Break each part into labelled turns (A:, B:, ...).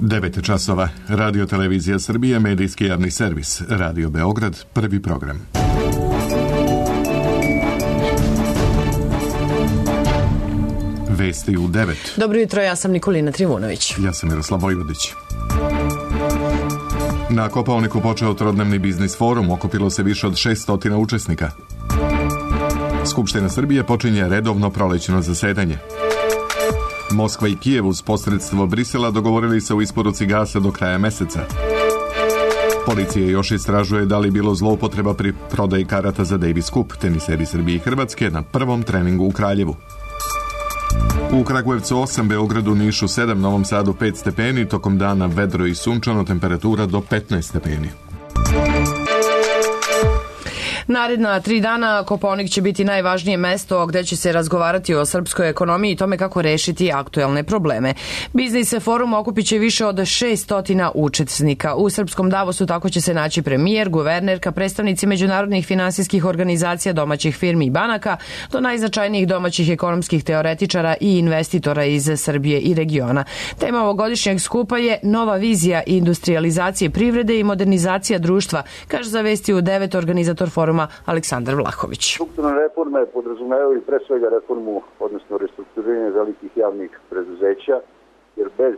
A: 9 časova. Radio Televizija Srbije, medijski javni servis. Radio Beograd, prvi program. Vesti u 9.
B: Dobro jutro, ja sam Nikolina Trivunović.
A: Ja sam Miroslav Vojvodić. Na Kopaoniku počeo trodnevni biznis forum, okupilo se više od 600 učesnika. Skupština Srbije počinje redovno prolećno zasedanje. Moskva i Kijev uz posredstvo Brisela dogovorili se u isporuci gasa do kraja meseca. Policija još istražuje da li bilo zloupotreba pri prodaji karata za Davis Cup, teniseri Srbije i Hrvatske na prvom treningu u Kraljevu. U Kragujevcu 8, Beogradu, Nišu 7, Novom Sadu 5 stepeni, tokom dana vedro i sunčano, temperatura do 15 stepeni.
B: Naredna 3 dana Kopaonik će biti najvažnije mesto gde će se razgovarati o srpskoj ekonomiji i tome kako rešiti aktuelne probleme. Biznis forum okupit će više od 600 učesnika. U srpskom Davosu tako će se naći premijer, guvernerka, predstavnici međunarodnih finansijskih organizacija, domaćih firmi i banaka, do najznačajnijih domaćih ekonomskih teoretičara i investitora iz Srbije i regiona. Tema ovogodišnjeg skupa je nova vizija industrializacije privrede i modernizacija društva, kaže za Vesti u 9 organizator foruma Aleksandar Vlahović.
C: Strukturne reforme podrazumevaju pre svega reformu, odnosno restrukturiranje velikih javnih preduzeća, jer bez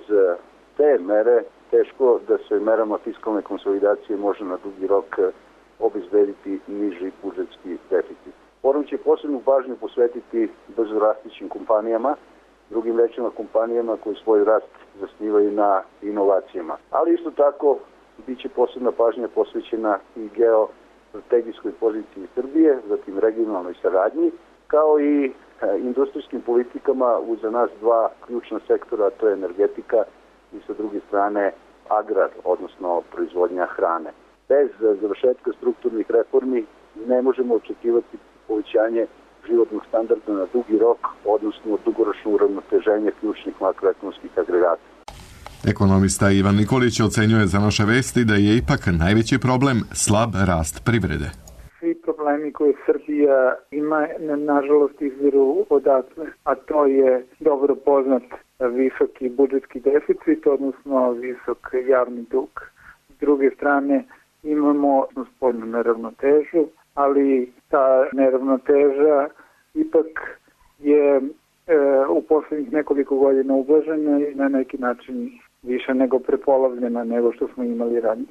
C: te mere teško da se merama fiskalne konsolidacije može na dugi rok obezbediti niži budžetski deficit. Forum će posebnu pažnju posvetiti brzo rastućim kompanijama, drugim rečima kompanijama koji svoj rast zasnivaju na inovacijama. Ali isto tako biće posebna pažnja posvećena i strategijskoj poziciji Srbije, zatim regionalnoj saradnji, kao i industrijskim politikama uz za nas dva ključna sektora, to je energetika i sa druge strane agrar, odnosno proizvodnja hrane. Bez završetka strukturnih reformi ne možemo očekivati povećanje životnog standarda na dugi rok, odnosno dugoročno uravnoteženje ključnih makroekonomskih agregata.
A: Ekonomista Ivan Nikolić ocenjuje za naše vesti da je ipak najveći problem slab rast privrede.
D: Svi problemi koje Srbija ima, nažalost, izviru odatle, a to je dobro poznat visoki budžetski deficit, odnosno visok javni dug. S druge strane, imamo spoljnu neravnotežu, ali ta neravnoteža ipak je u poslednjih nekoliko godina ublažena i na neki način više nego prepolovljena nego što smo imali ranije.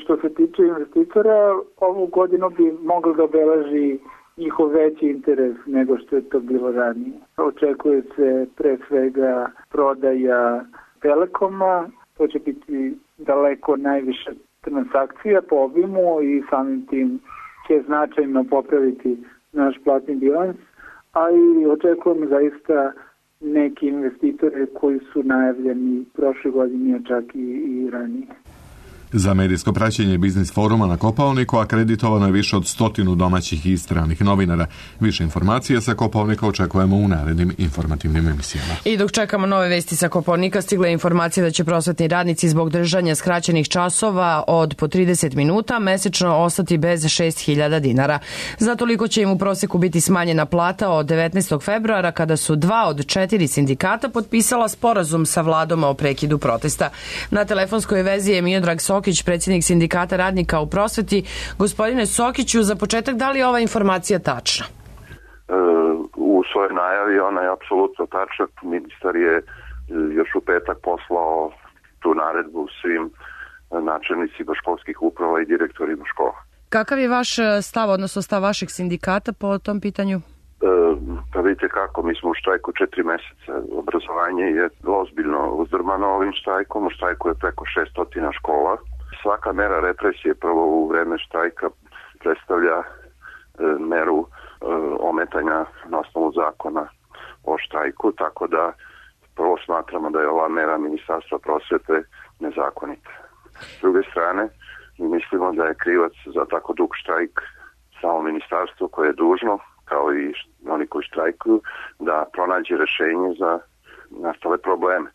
D: Što se tiče investitora, ovu godinu bi moglo da obeleži njihov veći interes nego što je to bilo ranije. Očekuje se pre svega prodaja Telekoma, to će biti daleko najviše transakcija po obimu i samim tim će značajno popraviti naš platni bilans, a i očekujemo zaista neki investitore koji su najavljeni prošle godine, čak i ranije.
A: Za medijsko praćenje biznis foruma na Kopaoniku akreditovano je više od 100 domaćih i stranih novinara. Više informacija sa Kopaonika očekujemo u narednim informativnim emisijama.
B: I dok čekamo nove vesti sa Kopaonika, stigla je informacija da će prosvetni radnici zbog držanja skraćenih časova od po 30 minuta mesečno ostati bez 6.000 dinara. Za toliko će im u proseku biti smanjena plata od 19. februara kada su 2 od 4 sindikata potpisala sporazum sa vladom o prekidu protesta. Na telefonskoj vezi je Miodrag Sokić, predsjednik sindikata radnika u prosveti. Gospodine Sokiću, za početak, da li je ova informacija tačna?
E: U svojoj najavi ona je apsolutno tačna. Ministar je još u petak poslao tu naredbu svim načelnicima školskih uprava i direktorima škola. Kakav je vaš stav, odnosno stav vašeg sindikata po tom pitanju? Pa vidite kako, mi smo u štrajku 4 meseca. Obrazovanje je ozbiljno uzdrmano ovim štrajkom. U štrajku je preko 600 škola. Svaka mera represije prvo u vreme štrajka predstavlja meru ometanja na osnovu zakona o štrajku, tako da prvo smatramo da je ova mera Ministarstva prosvete nezakonita. S druge strane, mi mislimo da je krivac za tako dug štrajk samo ministarstvo koje je dužno, kao i oni koji štrajkuju, da pronađe rešenje za nastale probleme.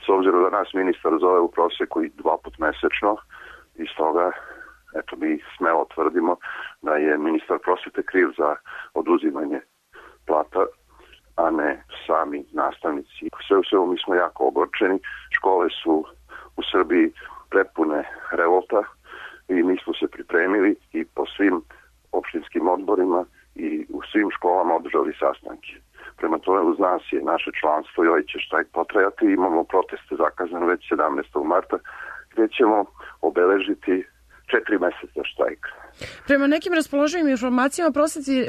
E: S obzirom da nas ministar zove u proseku i 2 puta mesečno, i stoga mi smelo tvrdimo da je ministar prosvete kriv za oduzimanje plata, a ne sami nastavnici. Sve u svemu mi smo jako ogorčeni. Škole su u Srbiji prepune revolta i mi smo se pripremili i po svim opštinskim odborima i u svim školama održali sastanke. Prema tome uz nas je naše članstvo i ovaj će štrajk potrajati. Imamo proteste zakazane već 17. marta gdje ćemo obeležiti 4 meseca štrajka.
B: Prema nekim raspoloživim informacijama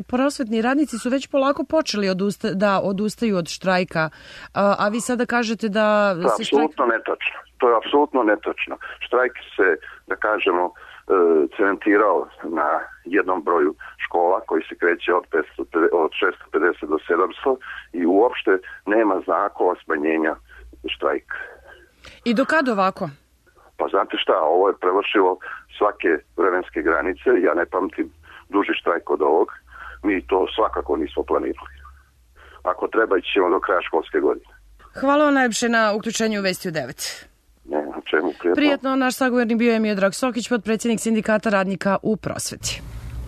B: prosvetni radnici su već polako počeli da odustaju od štrajka, a vi sada kažete da
E: se apsolutno netočno. To je apsolutno netočno. Štrajk se, da kažemo, cementirao na jednom broju škola koji se kreće od 650 do 700 i uopšte nema znakova smanjenja štrajka.
B: I do kad ovako?
E: Pa znate šta, ovo je prevršilo svake vremenske granice, ja ne pamtim duži štrajk od ovog, mi to svakako nismo planirali. Ako treba, ićemo do kraja školske godine.
B: Hvala vam najlepše na uključenju u Vesti u 9.
E: Ne, na čemu prijatno.
B: Prijetno, naš sagovornik bio je Miodrag Sokić, potpredsjednik Sindikata radnika u prosveti.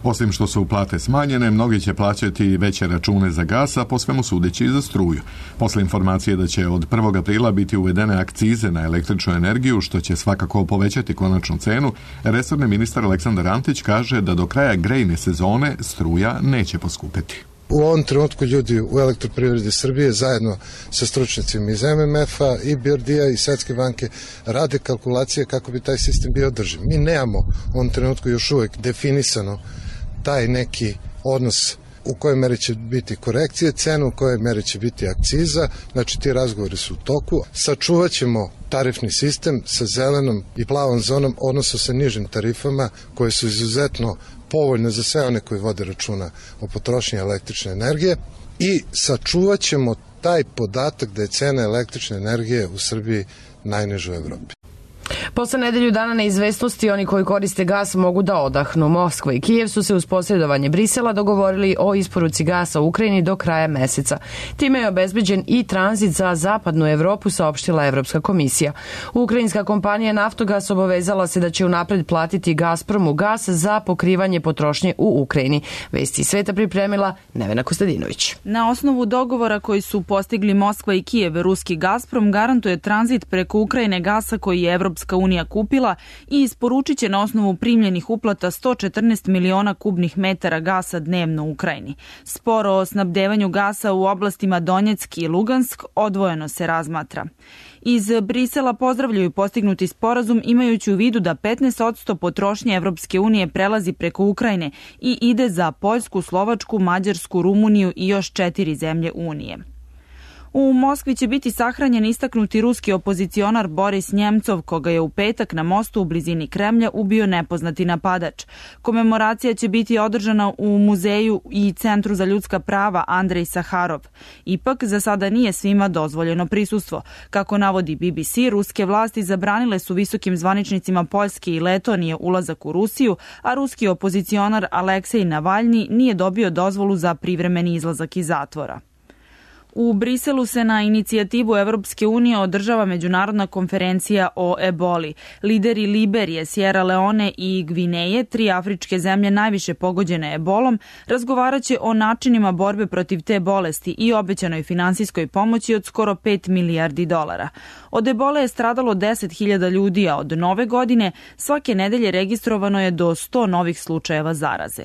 A: Osim što su plate smanjene, mnogi će plaćati veće račune za gas, a po svemu sudeći i za struju. Posle informacije da će od 1. aprila biti uvedene akcize na električnu energiju, što će svakako povećati konačnu cenu, resorni ministar Aleksandar Antić kaže da do kraja grejne sezone struja neće poskupeti.
F: U ovom trenutku ljudi u Elektroprivredi Srbije zajedno sa stručnjacima iz MMF-a i BRD-a i Svetske banke rade kalkulacije kako bi taj sistem bio održiv. Mi nemamo u ovom trenutku još uvijek definisano taj neki odnos u kojoj meri će biti korekcije cena, u kojoj meri će biti akciza, znači ti razgovori su u toku. Sačuvat ćemo tarifni sistem sa zelenom i plavom zonom, odnosno sa nižim tarifama koje su izuzetno povoljne za sve one koji vode računa o potrošnji električne energije i sačuvat ćemo taj podatak da je cena električne energije u Srbiji najniža u Evropi.
B: Posle nedelju dana neizvesnosti, oni koji koriste gas mogu da odahnu. Moskva i Kijev su se uz posredovanje Brisela dogovorili o isporuci gasa u Ukrajini do kraja meseca. Time je obezbeđen i tranzit za zapadnu Evropu, saopštila Evropska komisija. Ukrajinska kompanija Naftogas obavezala se da će unapred platiti Gazpromu gas za pokrivanje potrošnje u Ukrajini. Vesti sveta pripremila Nevena Kostadinović.
G: Na osnovu dogovora koji su postigli Moskva i Kijev, ruski Gazprom garantuje tranzit preko Ukrajine gasa koji je Evropska unija kupila i isporučit će na osnovu primljenih uplata 114 miliona kubnih metara gasa dnevno u Ukrajini. Sporo o snabdevanju gasa u oblastima Donjeck i Lugansk odvojeno se razmatra. Iz Brisela pozdravljaju postignuti sporazum imajući u vidu da 15% potrošnje Evropske unije prelazi preko Ukrajine i ide za Poljsku, Slovačku, Mađarsku, Rumuniju i još 4 zemlje Unije. U Moskvi će biti sahranjen istaknuti ruski opozicionar Boris Njemcov, koga je u petak na mostu u blizini Kremlja ubio nepoznati napadač. Komemoracija će biti održana u muzeju i Centru za ljudska prava Andrej Saharov. Ipak, za sada nije svima dozvoljeno prisustvo. Kako navodi BBC, ruske vlasti zabranile su visokim zvaničnicima Poljske i Letonije ulazak u Rusiju, a ruski opozicionar Aleksej Navalni nije dobio dozvolu za privremeni izlazak iz zatvora. U Briselu se na inicijativu Evropske unije održava međunarodna konferencija o eboli. Lideri Liberije, Sierra Leone i Gvineje, 3 afričke zemlje najviše pogođene ebolom, razgovaraće o načinima borbe protiv te bolesti i obećanoj finansijskoj pomoći od skoro $5 milijardi. Od ebole je stradalo 10.000 ljudi, a od nove godine svake nedelje registrovano je do 100 novih slučajeva zaraze.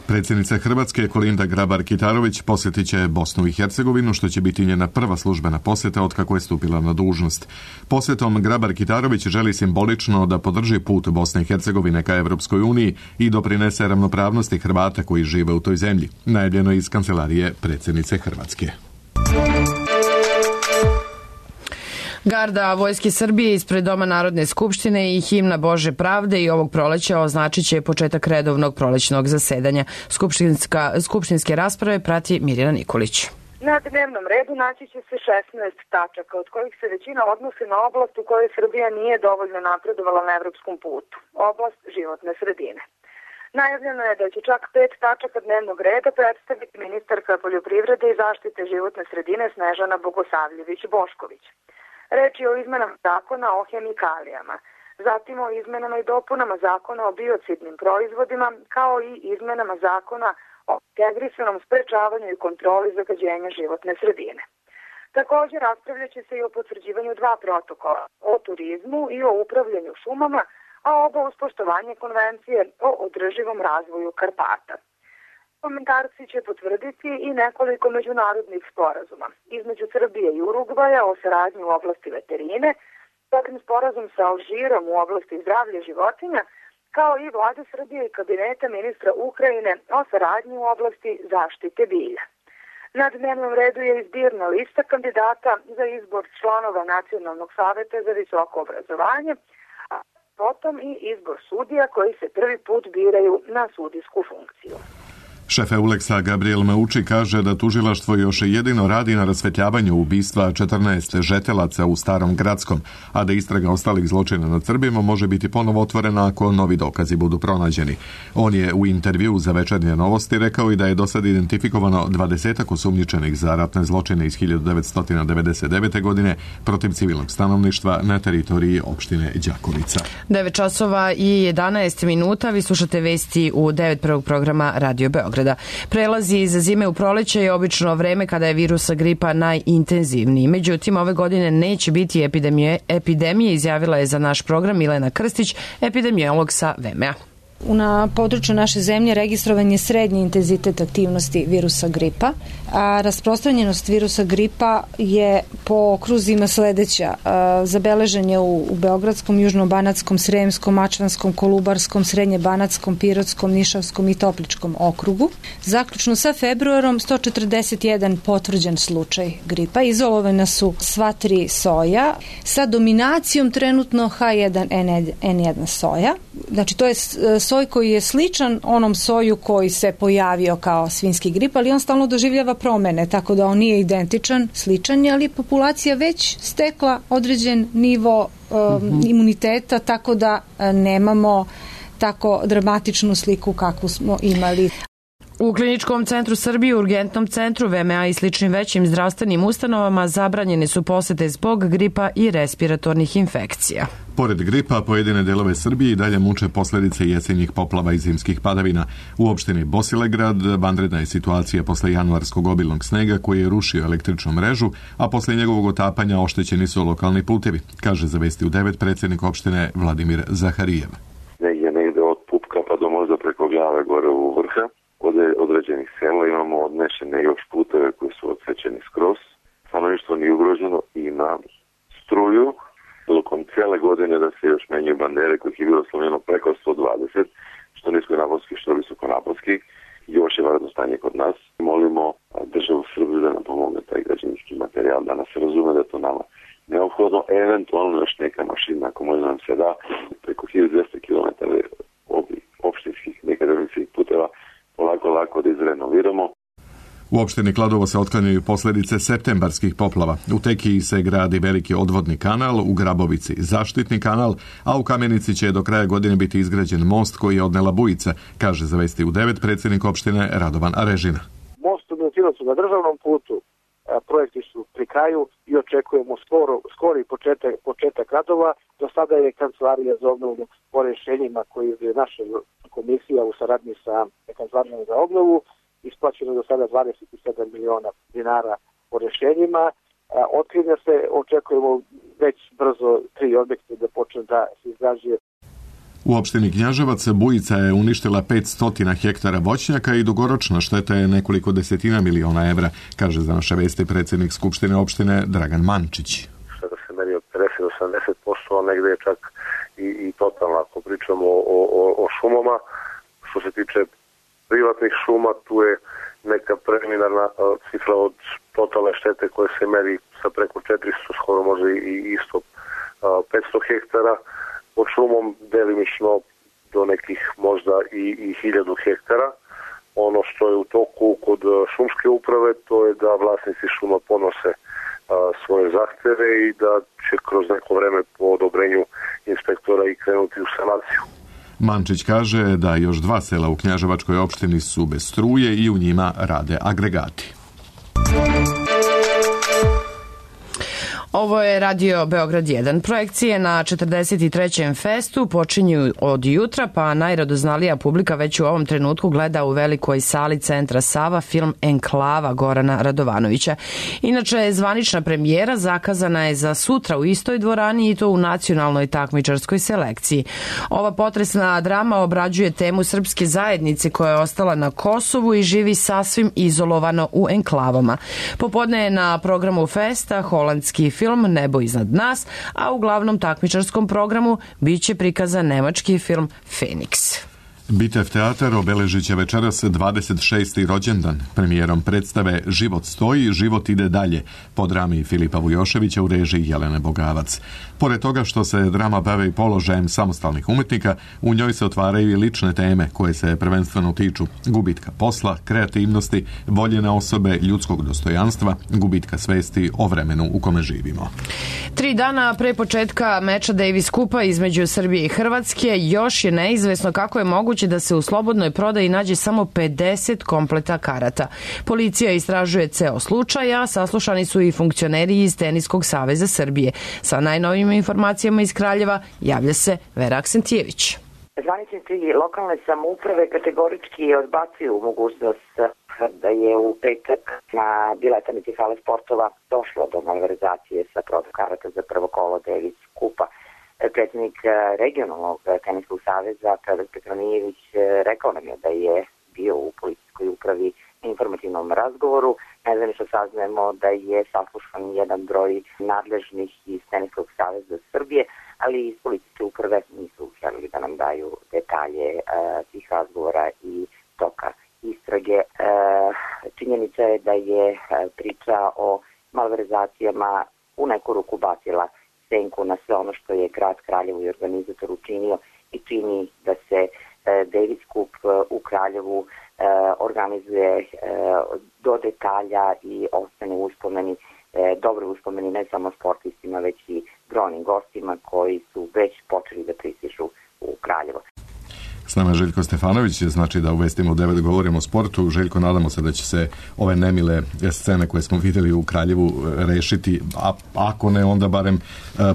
A: Predsjednica Hrvatske Kolinda Grabar-Kitarović posjetit će Bosnu i Hercegovinu, što će biti njena prva službena posjeta od kako je stupila na dužnost. Posjetom Grabar-Kitarović želi simbolično da podrži put Bosne i Hercegovine ka Evropskoj uniji i doprinese ravnopravnosti Hrvata koji žive u toj zemlji. Najavljeno iz kancelarije predsjednice Hrvatske.
B: Garda Vojske Srbije ispred Doma Narodne skupštine i himna Bože pravde i ovog proleća označit će početak redovnog prolećnog zasedanja. Skupštinske rasprave prati Mirjana Nikolić.
H: Na dnevnom redu naći će se 16 tačaka, od kojih se većina odnose na oblast u kojoj Srbija nije dovoljno napredovala na evropskom putu, oblast životne sredine. Najavljeno je da će čak 5 tačaka dnevnog reda predstaviti ministarka poljoprivrede i zaštite životne sredine Snežana Bogosavljević-Bošković. Reč je o izmenama zakona o hemikalijama, zatim o izmenama i dopunama zakona o biocidnim proizvodima, kao i izmenama zakona o integrisanom sprečavanju i kontroli zagađenja životne sredine. Također raspravljat će se i o potvrđivanju 2 protokola, o turizmu i o upravljanju šumama, a oba uz poštovanje konvencije o održivom razvoju Karpata. Komentarci će potvrditi i nekoliko međunarodnih sporazuma između Srbije i Urugvaja o saradnji u oblasti veterine, zatim sporazum sa Alžirom u oblasti zdravlja životinja, kao i vlade Srbije i kabineta ministra Ukrajine o saradnji u oblasti zaštite bilja. Na dnevnom redu je izbirna lista kandidata za izbor članova Nacionalnog saveta za visoko obrazovanje, a potom i izbor sudija koji se prvi put biraju na sudijsku funkciju.
A: Šef Euleksa Gabriel Meuči kaže da tužilaštvo još jedino radi na rasvetljavanju ubistva 14 žetelaca u Starom Gradskom, a da istraga ostalih zločina nad Srbima može biti ponovo otvorena ako novi dokazi budu pronađeni. On je u intervju za Večernje novosti rekao i da je do sad identifikovano 20 osumnjičenih za ratne zločine iz 1999. godine protiv civilnog stanovništva na teritoriji opštine Đakovica.
B: 9 časova i 11 minuta, vi slušate vesti u 9 prvog programa Radio Beograd. Prelazi iz zime u proleće je obično vreme kada je virus gripa najintenzivniji. Međutim, ove godine neće biti epidemije, izjavila je za naš program Milena Krstić, epidemiolog sa VMA.
I: Na području naše zemlje registrovan je srednji intenzitet aktivnosti virusa gripa, a rasprostranjenost virusa gripa je po okruzima sledeća. Zabeležen je u Beogradskom, Južno-banatskom, Sremskom, Mačvanskom, Kolubarskom, Srednje-banatskom, Pirotskom, Nišavskom i Topličkom okrugu. Zaključno sa februarom 141 potvrđen slučaj gripa. Izolovana su sva 3 soja sa dominacijom trenutno H1N1 soja. Znači to je soj koji je sličan onom soju koji se pojavio kao svinjski grip, ali on stalno doživljava promene, tako da on nije identičan, sličan je, ali populacija već stekla određen nivo imuniteta, tako da nemamo tako dramatičnu sliku kakvu smo imali.
B: U Kliničkom centru Srbije, Urgentnom centru, VMA i sličnim većim zdravstvenim ustanovama zabranjene su posete zbog gripa i respiratornih infekcija.
A: Pored gripa, pojedine delove Srbije i dalje muče posljedice jesenjih poplava i zimskih padavina. U opštini Bosilegrad vanredna je situacija posle januarskog obilnog snega koji je rušio električnu mrežu, a posle njegovog otapanja oštećeni su lokalni putevi, kaže za Vesti u 9 predsjednik opštine Vladimir Zaharijev.
E: Negde od Pupka pa do možda preko Gljave gore u Vrha. Od određenih sela imamo odnešene još puteve koji su odsečeni skroz. Stanovništvo nije ugroženo, ima struju. Tokom cijele godine da se još menjaju bandere kojih je bilo slovljeno preko 120, što niskonaponski, što visokonaponski. Još je varedno stanje kod nas. Molimo državu Srbiju da nam pomogne taj građevinski materijal, da nas razume da je to nama neophodno. Eventualno još neka mašina, ako možda nam se da, preko 1200 km opštinskih nekadavinskih puteva lako da izrenoviramo.
A: U opštini Kladovo se otklanjaju posljedice septembarskih poplava. U Tekiji se gradi veliki odvodni kanal, u Grabovici zaštitni kanal, a u Kamenici će do kraja godine biti izgrađen most koji je odnela bujica, kaže za Vesti u 9 predsjednik opštine Radovan Arežina.
J: Most u Milutinovac na državnom putu, projekti su pri kraju i očekujemo skori početak radova. Do sada je Kancelarija za obnovu po rješenjima koji je naša komisija u saradnji sa Kancelarijom za obnovu isplaćeno do sada 27 miliona dinara po rješenjima. Otkrinja se, očekujemo već brzo 3 objekte da počne da se izgrađuje.
A: U opštini Knjaževac bujica je uništila 500 hektara voćnjaka i dugoročna šteta je nekoliko desetina miliona evra, kaže za naše Vesti predsjednik Skupštine opštine Dragan Mančić.
K: Sada se meri od 50-80%, a negde je čak i totalno, ako pričamo o šumama. Što se tiče privatnih šuma, tu je neka preliminarna cifra od totalne štete koje se meri sa preko 400, skoro može i isto 500 hektara. Pod šumom delimično do nekih možda i 1000 hektara. Ono što je u toku kod šumske uprave, to je da vlasnici šuma podnose svoje zahteve i da će kroz neko vreme po odobrenju inspektora i krenuti u sanaciju.
A: Mančić kaže da još 2 sela u Knjaževačkoj opštini su bez struje i u njima rade agregati.
B: Ovo je Radio Beograd 1. Projekcije na 43. festu počinju od jutra, pa najradoznalija publika već u ovom trenutku gleda u velikoj sali Centra Sava film Enklava Gorana Radovanovića. Inače, zvanična premijera zakazana je za sutra u istoj dvorani i to u nacionalnoj takmičarskoj selekciji. Ova potresna drama obrađuje temu srpske zajednice koja je ostala na Kosovu i živi sasvim izolovano u enklavama. Popodne je na programu festa holandski film Nebo iznad nas, a u glavnom takmičarskom programu biće prikazan nemački film Feniks.
A: Bitev teatar obeležit će večeras 26. rođendan. Premijerom predstave Život stoji, život ide dalje, po drami Filipa Vujoševića u režiji Jelene Bogavac. Pored toga što se drama bave i položajem samostalnih umetnika, u njoj se otvaraju i lične teme koje se prvenstveno tiču gubitka posla, kreativnosti, voljene osobe, ljudskog dostojanstva, gubitka svesti o vremenu u kome živimo.
B: 3 dana pre početka meča Davis Kupa između Srbije i Hrvatske još je neizvesno kako je moguće da se u slobodnoj prodaji nađe samo 50 kompleta karata. Policija istražuje ceo slučaj, a saslušani su i funkcioneri iz Teniskog saveza Srbije. Sa najnovijim informacijama iz Kraljeva javlja se Vera Aksentijević.
L: Zvaničnici lokalne samouprave kategorički odbacuju mogućnost da je u petak na biletanici hale sportova došlo do malverzacije sa prodajom karata za prvo kolo Davis Kupa. Predsjednik regionalnog teniskog saveza Predrag Petronijević rekao nam je da je bio u policijskoj upravi na informativnom razgovoru. Nezvanično saznajemo da je saslušan jedan broj nadležnih iz Teniskog saveza Srbije, ali iz policijske uprave nisu želeli da nam daju detalje tih razgovora i toka istrage. Činjenica je da je priča o malverzacijama u neku ruku bacila senku na sve ono što je grad Kraljevo i organizator učinio i čini da se Davis Cup u Kraljevu organizuje do detalja i ostane uspomeni, dobre uspomeni ne samo sportistima, već i brojnim gostima koji su već počeli da pristižu u Kraljevo.
A: S nama je Željko Stefanović, znači da u Vestima u 9 govorimo o sportu. Željko, nadamo se da će se ove nemile scene koje smo vidjeli u Kraljevu rešiti, a ako ne, onda barem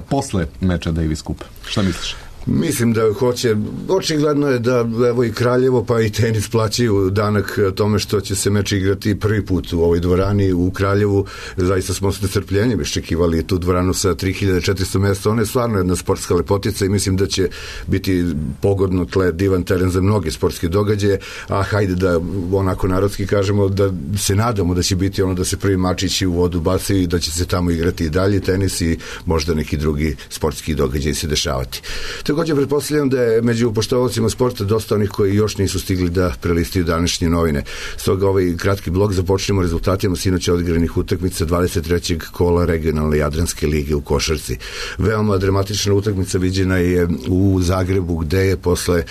A: posle meča Davis Cup. Šta misliš?
M: Mislim da hoće. Očigledno je da evo i Kraljevo pa i tenis plaćaju danak tome što će se meč igrati prvi put u ovoj dvorani u Kraljevu. Zaista smo s nestrpljenjem iščekivali tu dvoranu sa 3400 mjesta. Ona je stvarno jedna sportska lepotica i mislim da će biti pogodno tle, divan teren za mnoge sportske događaje, a hajde da onako narodski kažemo da se nadamo da će biti ono da se prvi mačići u vodu bacaju i da će se tamo igrati i dalje tenis i možda neki drugi sportski događaj se dešavati. Također pretpostavljam da je među poštovalcima sporta dosta onih koji još nisu stigli da prelistaju današnje novine. Stoga ovaj kratki blog započnemo rezultatima sinoć odigranih utakmica 23. kola regionalne Jadranske lige u košarci. Veoma dramatična utakmica viđena je u Zagrebu gde je posle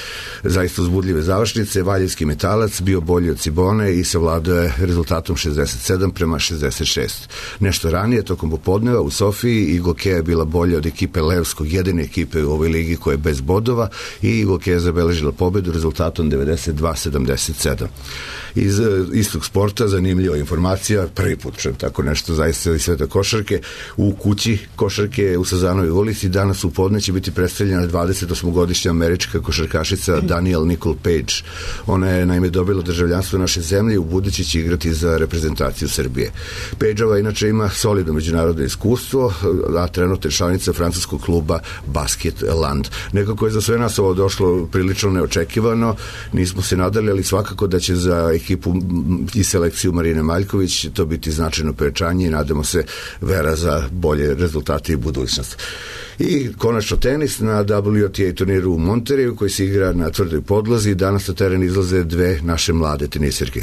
M: zaista uzbudljive završnice Valjevski Metalac bio bolji od Cibone i savladao je rezultatom 67-66. Nešto ranije, tokom popodneva u Sofiji, Igokea je bila bolja od ekipe Levskog, jedine ekipe u ovoj ligi koja je bez bodova, i Igokea je zabeležila pobedu rezultatom 92-77. Iz istog sporta zanimljiva informacija, prvi put čujem tako nešto zaista iz sveta košarke, u kući košarke u Sazanovoj ulici danas u podne će biti predstavljena 28-godišnja američka košarkašica Danielle Nicole Page. Ona je naime dobila državljanstvo naše zemlje i u budući će igrati za reprezentaciju Srbije. Pageova inače ima solidno međunarodno iskustvo, a trenutno je članica francuskog kluba Basketland. Nekako je za sve nas ovo došlo prilično neočekivano, nismo se nadali, ali svakako da će za ekipu i selekciju Marine Maljković to biti značajno pojačanje i nadamo se vera za bolje rezultate i budućnost. I konačno tenis na WTA turniru u Monterreyu koji se igra na tvrdoj podlozi. Danas na teren izlaze dve naše mlade tenisirke.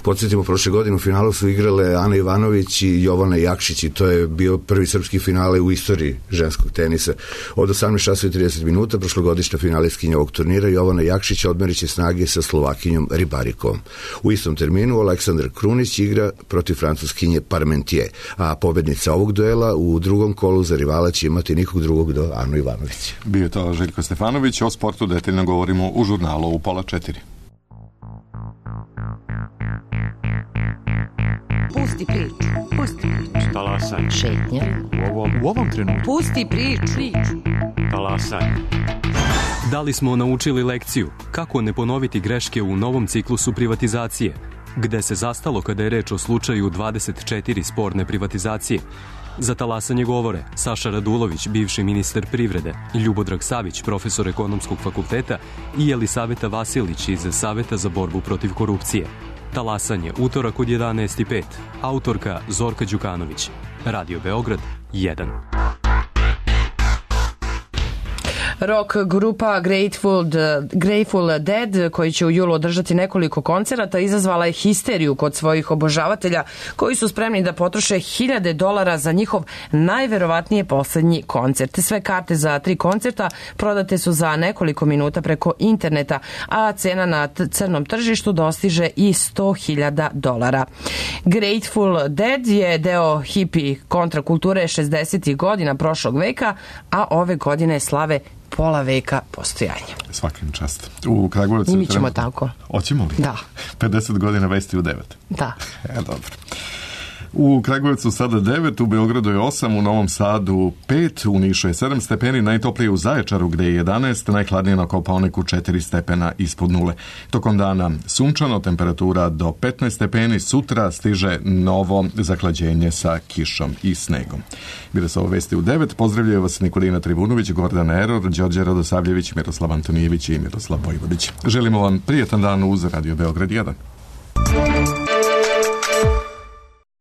M: Podsjetimo, prošle godine u finalu su igrale Ana Ivanović i Jovana Jakšić i to je bio prvi srpski finale u istoriji ženskog tenisa. Od 18:30 minuta prošlogodišnja finalistkinja ovog turnira Jovana Jakšić odmerit će snage sa Slovakinjom Ribarikom. U istom terminu Aleksandar Krunić igra protiv francuskinje Parmentier, a pobednica ovog duela u drugom kolu za rivala će imati nikog drugog do Anu Ivanović.
A: Bio je to Željko Stefanović, o sportu detaljno govorimo u žurnalu u 3:30.
B: Pusti priču.
N: Talasanje.
B: Šetnja.
N: U ovom trenutku.
B: Pusti priču.
N: Talasanje. Da li smo naučili lekciju kako ne ponoviti greške u novom ciklusu privatizacije? Gde se zastalo kada je reč o slučaju 24 sporne privatizacije? Za talasanje govore Saša Radulović, bivši ministar privrede, Ljubodrag Savić, profesor ekonomskog fakulteta i Jelisaveta Vasilić iz Saveta za borbu protiv korupcije. Talasanje, utorak od 11:05. Autorka Zorka Đukanović. Radio Beograd 1.
B: Rock grupa Grateful Dead, koji će u julu održati nekoliko koncerata, izazvala je histeriju kod svojih obožavatelja koji su spremni da potroše $1.000 za njihov najverovatnije poslednji koncert. Sve karte za 3 koncerta prodate su za nekoliko minuta preko interneta, a cena na crnom tržištu dostiže i $100.000. Grateful Dead je deo hippie kontrakulture 60. godina prošlog veka, a ove godine slave pola veka postojanja.
A: Svakim čast. U Kragujevcu...
B: Mi ćemo tako.
A: Hoćemo li?
B: Da.
A: 50 godina vesti u 9.
B: Da.
A: Dobro. U Kragujevcu sada 9, u Beogradu je 8, u Novom Sadu 5, u Nišu je 7 stepeni, najtoplije u Zaječaru gde je 11, najhladnije na Kopaoniku 4 stepena ispod nule. Tokom dana sunčano, temperatura do 15 stepeni, sutra stiže novo zahlađenje sa kišom i snegom. Bile su ovo vesti u 9, pozdravljaju vas Nikolina Trivunović, Gordana Eror, Đorđe Radosavljević, Miroslav Antonijević i Miroslav Vojvodić. Želimo vam prijetan dan uz Radio Beograd 1.